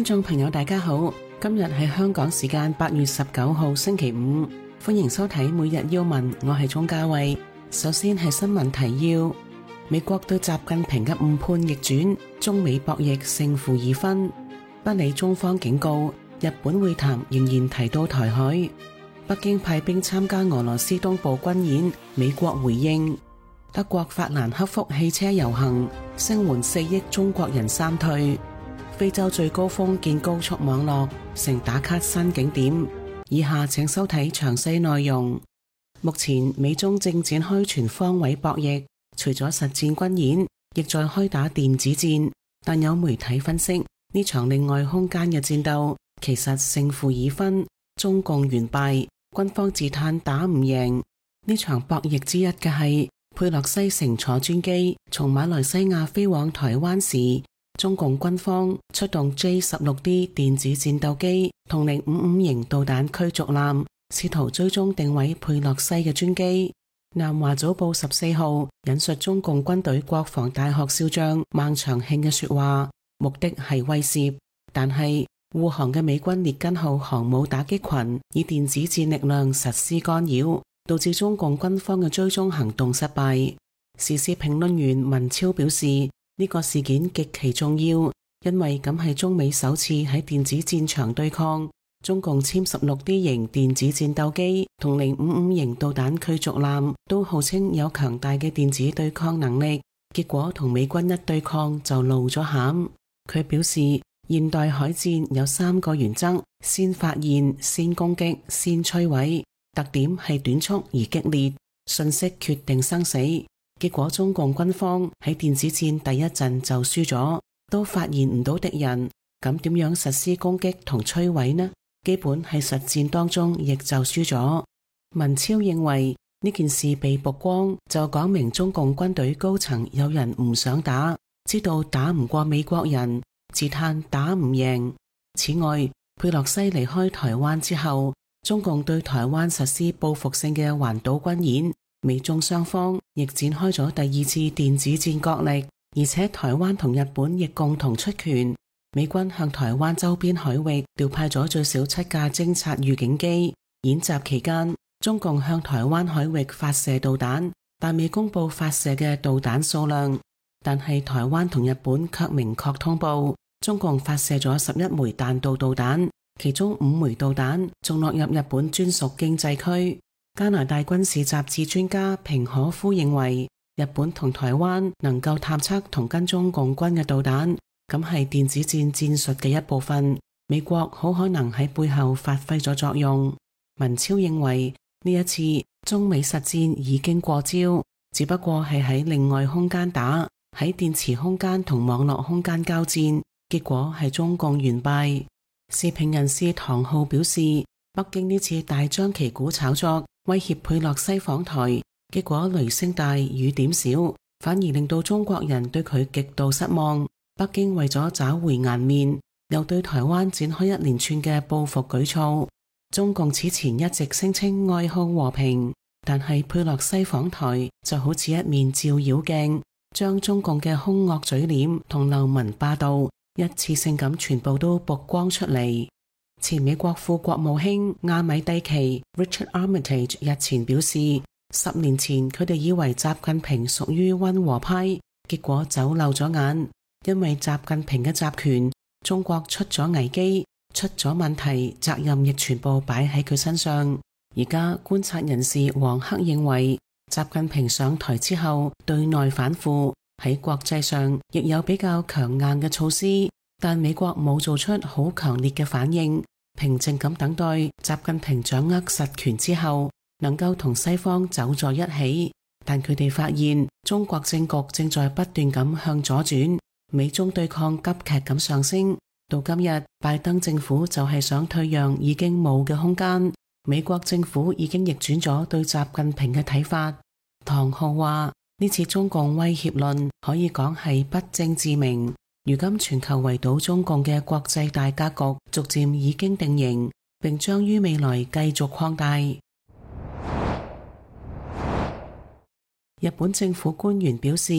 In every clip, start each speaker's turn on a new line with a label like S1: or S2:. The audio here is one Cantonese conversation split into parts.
S1: 觀眾朋友大家好，今日係香港時間8月19號星期五，歡迎收睇每日要聞，我係鍾嘉慧。首先係新聞提要：美國對習近平嘅誤判逆轉，中美博弈勝負已分。不理中方警告，日本會談仍然提到台海。北京派兵參加俄羅斯東部軍演，美國回應。德國法蘭克福汽車遊行，聲援4億中國人三退。非洲最高峰建高速網絡，成打卡新景點。以下請收睇詳細內容。目前美中正展開全方位博弈，除咗實戰軍演，亦在開打電子戰。但有媒體分析，呢場另外空間嘅戰鬥其實勝負已分，中共完敗，軍方自嘆打唔贏。呢場博弈之一嘅係佩洛西乘坐專機從馬來西亞飛往台灣時，中共軍方出動 J-16D 電子戰鬥機同055型導彈驅逐艦，試圖追蹤定位佩洛西嘅專機。南華早報14號引述中共軍隊國防大學少將孟長慶嘅說話，目的係威懾，但係護航嘅美軍列根號航母打擊群以電子戰力量實施干擾，導致中共軍方嘅追蹤行動失敗。時事評論員文超表示，呢個事件極其重要，因為咁係中美首次喺電子戰場對抗。中共殲 16D 型電子戰鬥機同055型導彈驅逐艦都號稱有強大嘅電子對抗能力，結果同美軍一對抗就露咗餡。佢表示，現代海戰有3個原則：先發現、先攻擊、先摧毀。特點係短促而激烈，信息決定生死。結果中共軍方喺電子戰第一陣就輸咗，都發現唔到敵人，咁點樣實施攻擊同摧毀呢？基本喺實戰當中亦就輸咗。文超認為呢件事被曝光，就講明中共軍隊高層有人唔想打，知道打唔過美國人，自嘆打唔贏。此外，佩洛西離開台灣之後，中共對台灣實施報復性嘅環島軍演，美中雙方亦展開咗第2次電子戰角力，而且台灣同日本亦共同出拳。美軍向台灣周邊海域調派咗最少7架偵察預警機。演習期間，中共向台灣海域發射導彈，但未公布發射嘅導彈數量。但係台灣同日本卻明確通報，中共發射咗11枚彈道導彈，其中5枚導彈仲落入日本專屬經濟區。加拿大軍事雜誌專家平可夫認為，日本同台灣能夠探測同跟蹤共軍嘅導彈，咁係電子戰戰術嘅一部分，美國好可能喺背後發揮咗作用。文超認為呢一次中美實戰已經過招，只不過係喺另外空間打，喺電磁空間同網絡空間交戰，結果係中共完敗。時評人士唐浩表示，北京呢次大張旗鼓炒作，威脅佩洛西訪台，結果雷聲大雨點小，反而令到中國人對佢極度失望。北京為咗找回顏面，又對台灣展開一連串嘅報復舉措。中共此前一直聲稱愛好和平，但係佩洛西訪台就好似一面照妖鏡，將中共嘅兇惡嘴臉同流氓霸道一次性咁全部都曝光出嚟。前美國副國務卿亞米蒂奇 Richard Armitage 日前表示，10年前佢哋以為習近平屬於溫和派，結果走漏咗眼。因為習近平嘅集權，中國出咗危機，出咗問題，責任亦全部擺喺佢身上。而家觀察人士黃克認為，習近平上台之後對內反腐，喺國際上亦有比較強硬嘅措施，但美國冇做出好強烈嘅反應，平靜咁等待習近平掌握實權之後，能夠同西方走在一起。但佢哋發現中國政局正在不斷咁向左轉。美中對抗急劇咁上升，到今日拜登政府就係想退讓已經冇嘅空間，美國政府已經逆轉咗對習近平嘅睇法。唐浩話，呢次中共威脅論可以講係不證自明，如今全球圍堵中共嘅國際大格局逐漸已經定型，並將於未來繼續擴大。日本政府官員表示，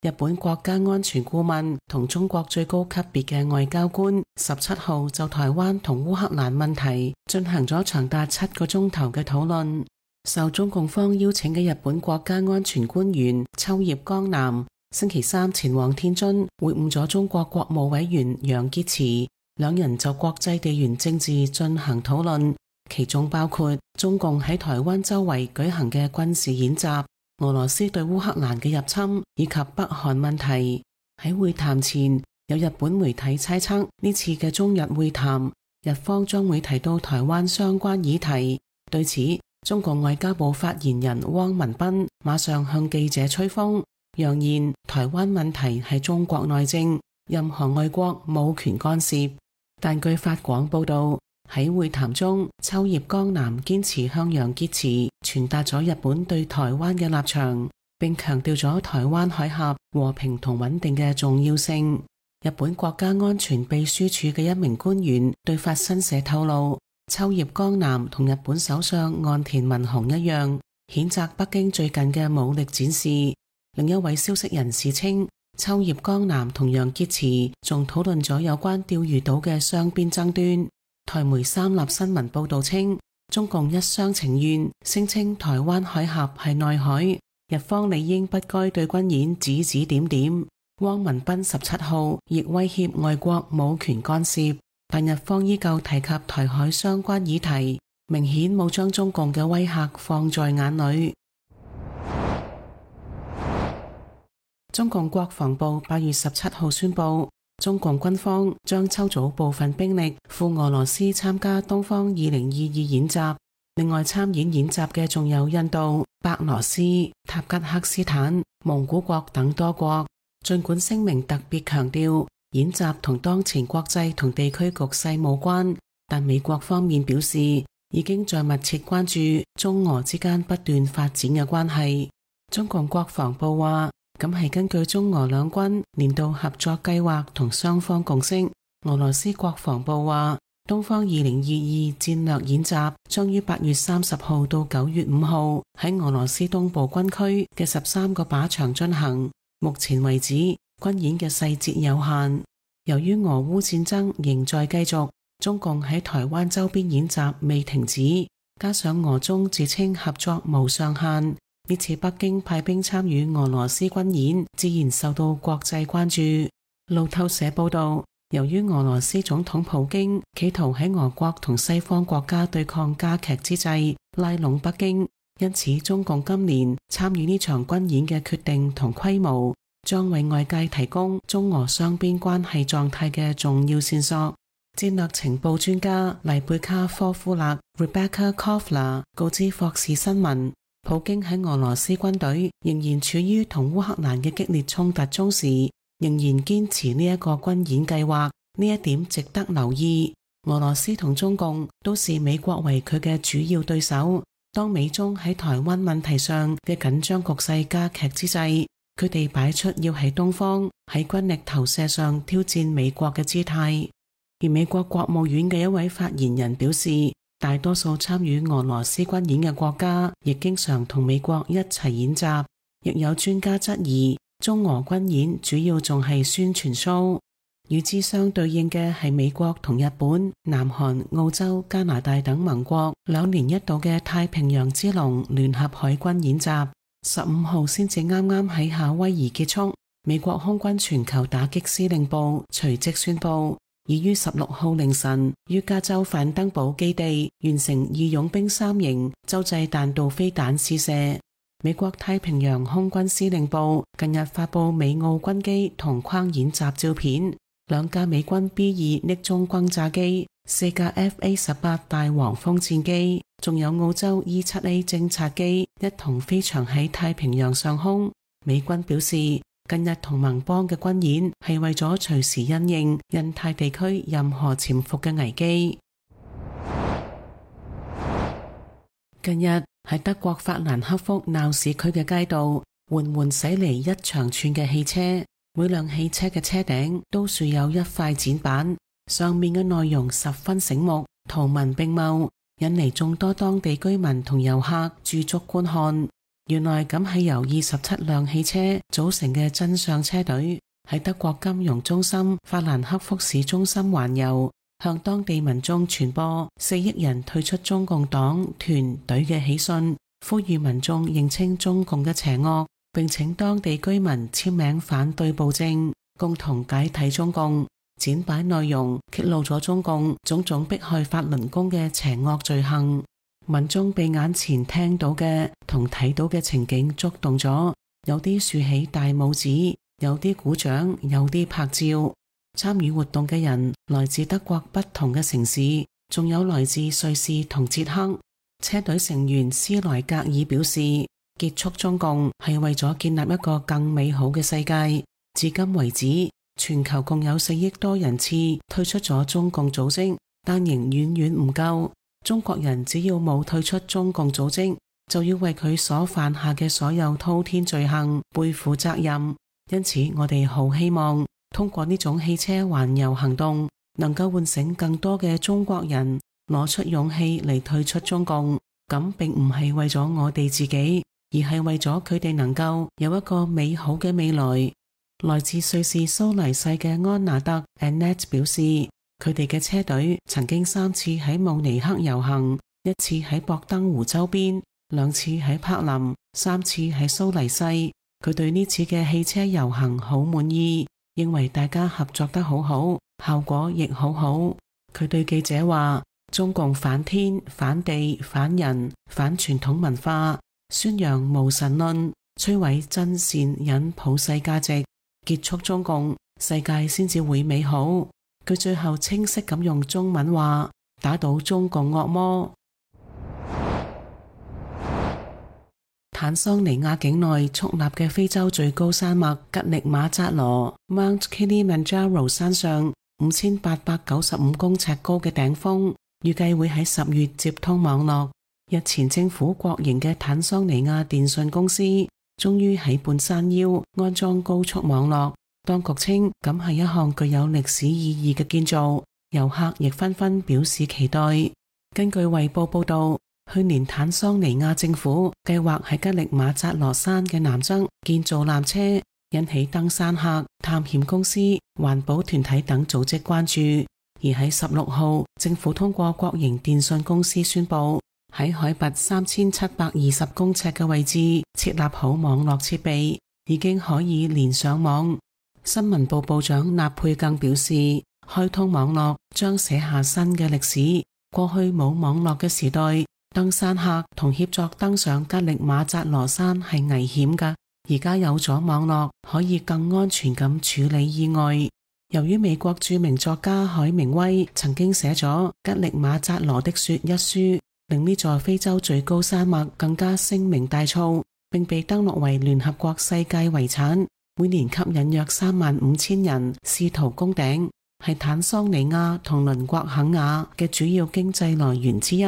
S1: 日本國家安全顧問同中國最高級別嘅外交官17號就台灣同烏克蘭問題進行咗長達7個鐘頭嘅討論。受中共方邀請嘅日本國家安全官員秋葉剛男星期三前往天津會晤咗中國國務委員楊潔篪，兩人就國際地緣政治進行討論，其中包括中共喺台灣周圍舉行嘅軍事演習、俄羅斯對烏克蘭嘅入侵以及北韓問題。喺會談前，有日本媒體猜測呢次嘅中日會談，日方將會提到台灣相關議題。對此，中國外交部發言人汪文斌馬上向記者吹風，揚言台灣問題係中國內政，任何外國冇權干涉。但據法廣報道，喺會談中，秋葉剛男堅持向楊潔篪傳達咗日本對台灣嘅立場，並強調咗台灣海峽和平同穩定嘅重要性。日本國家安全秘書處嘅一名官員對法新社透露，秋葉剛男同日本首相岸田文雄一樣，譴責北京最近嘅武力展示。另一位消息人士稱，秋葉剛男同楊潔篪仲討論咗有關釣魚島嘅雙邊爭端。台媒三立新聞報道稱，中共一廂情願聲稱台灣海峽係內海，日方理應不該對軍演指指點點。汪文斌17號亦威脅外國冇權干涉，但日方依舊提及台海相關議題，明顯冇將中共嘅威嚇放在眼裏。中共國防部8月17號宣布，中共軍方將抽組部分兵力赴俄羅斯參加東方2022演習。另外參演習嘅仲有印度、白羅斯、塔吉克斯坦、蒙古國等多國。儘管聲明特別強調演習同當前國際同地區局勢無關，但美國方面表示已經在密切關注中俄之間不斷發展嘅關係。中共國防部話，咁係根據中俄兩軍年度合作計劃同雙方共識。俄羅斯國防部話，東方2022戰略演習將於8月30號到9月5號喺俄羅斯東部軍區嘅13個靶場進行。目前為止，軍演嘅細節有限。由於俄烏戰爭仍在繼續，中共喺台灣周邊演習未停止，加上俄中自稱合作無上限，呢次北京派兵參與俄羅斯軍演，自然受到國際關注。路透社報道，由於俄羅斯總統普京企圖喺俄國同西方國家對抗加劇之際拉攏北京，因此中共今年參與呢場軍演嘅決定同規模，將為外界提供中俄雙邊關係狀態嘅重要線索。戰略情報專家麗貝卡科夫勒 Rebecca Kovler 告知霍士新聞，普京喺俄羅斯軍隊仍然處於同烏克蘭嘅激烈衝突中時，仍然堅持呢一個軍演計劃，呢一點值得留意。俄羅斯同中共都視美國為佢嘅主要對手。當美中喺台灣問題上嘅緊張局勢加劇之際，佢哋擺出要喺東方喺軍力投射上挑戰美國嘅姿態。而美國國務院嘅一位發言人表示，大多數參與俄羅斯軍演嘅國家亦經常同美國一齊演習。亦有專家質疑，中俄軍演主要仲係宣傳 show。與之相對應嘅係美國同日本、南韓、澳洲、加拿大等盟國2年一度嘅太平洋之龍聯合海軍演習，15號先至啱啱喺夏威夷結束。美國空軍全球打擊司令部隨即宣布，已於16號凌晨於加州范登堡基地完成義勇兵3型洲際彈道飛彈試射。美國太平洋空軍司令部近日發布美澳軍機同框演習照片，2架美軍 B2 匿蹤轟炸機、4架 FA-18 大黃蜂戰機，仲有澳洲 E-7A 偵察機一同飛翔喺太平洋上空。美軍表示，近日同盟邦嘅軍演係為咗隨時因應印太地區任何潛伏嘅危機。近日喺德國法蘭克福鬧市區嘅街道，緩緩駛嚟一長串嘅汽車，每輛汽車嘅車頂都豎有一塊展板，上面嘅內容十分醒目，圖文並茂，引嚟眾多當地居民同遊客駐足觀看。原來咁係由27輛汽車組成嘅真相車隊，喺德國金融中心法蘭克福市中心環遊，向當地民眾傳播4億人退出中共黨團隊嘅喜訊，呼籲民眾認清中共嘅邪惡，並請當地居民簽名反對暴政，共同解體中共。展擺內容揭露咗中共種種迫害法輪功嘅邪惡罪行，民眾被眼前聽到嘅同睇到嘅情景觸動咗，有啲豎起大拇指，有啲鼓掌，有啲拍照。參與活動嘅人來自德國不同嘅城市，仲有來自瑞士同捷克。車隊成員斯萊格爾表示，結束中共係為咗建立一個更美好嘅世界。至今為止，全球共有4億多人次退出咗中共組織，但仍遠遠唔夠。中國人只要冇退出中共組織，就要為佢所犯下嘅所有滔天罪行背負責任。因此，我哋好希望通過呢種汽車環遊行動，能夠喚醒更多嘅中國人攞出勇氣嚟退出中共。咁並唔係為咗我哋自己，而係為咗佢哋能夠有一個美好嘅未來。來自瑞士蘇黎世嘅安娜特 Annette 表示，佢哋嘅車隊曾經3次喺慕尼黑遊行，1次喺博登湖周邊，2次喺柏林，3次喺蘇黎世。佢對呢次嘅汽車遊行好滿意，認為大家合作得好好，效果亦好好。佢對記者話，中共反天、反地、反人、反傳統文化，宣揚無神論，摧毀真善忍普世價值，結束中共，世界先至會美好。佢最後清晰咁用中文話，打倒中共惡魔。坦桑尼亞境內矗立嘅非洲最高山脈吉力馬扎羅 Mount Kilimanjaro 山上5895公尺高嘅頂峰，預計會喺10月接通網絡。日前政府國營嘅坦桑尼亞電信公司終於喺半山腰安裝高速網絡，當局稱咁係一項具有歷史意義嘅建造，遊客亦紛紛表示期待。根據衛報報道，去年坦桑尼亞政府計劃喺吉力馬扎羅山嘅南側建造纜車，引起登山客、探險公司、環保團體等組織關注。而喺16號，政府通過國營電信公司宣布，喺海拔3720公尺嘅位置設立好網絡設備，已經可以連上網。新聞部部長納佩更表示，開通網絡將寫下新嘅歷史。過去冇網絡嘅時代，登山客同協作登上吉力馬扎羅山係危險㗎，而家有咗網絡，可以更安全咁處理意外。由於美國著名作家海明威曾經寫咗《吉力馬扎羅的雪》一書，令呢座非洲最高山脈更加聲名大噪，並被登錄為聯合國世界遺產，每年吸引約35000人試圖攻頂，係坦桑尼亞同鄰國肯亞嘅主要經濟來源之一。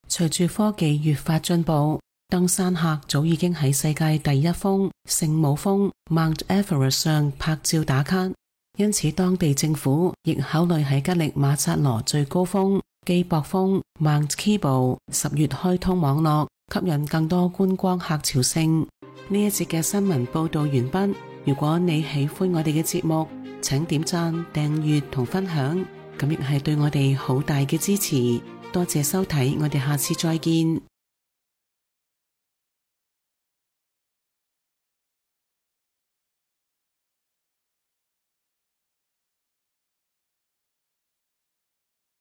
S1: 隨住科技越發進步，登山客早已經喺世界第一峰聖母峰 Mount Everest 上拍照打卡，因此當地政府亦考慮喺吉力馬扎羅最高峰基博峰 Mount Kibo 10月開通網絡，吸引更多觀光客朝聖。呢一節嘅新聞報道完畢。如果你喜歡我哋嘅節目，請點讚、訂閱同分享，咁亦係對我哋好大嘅支持。多謝收睇，我哋下次再見。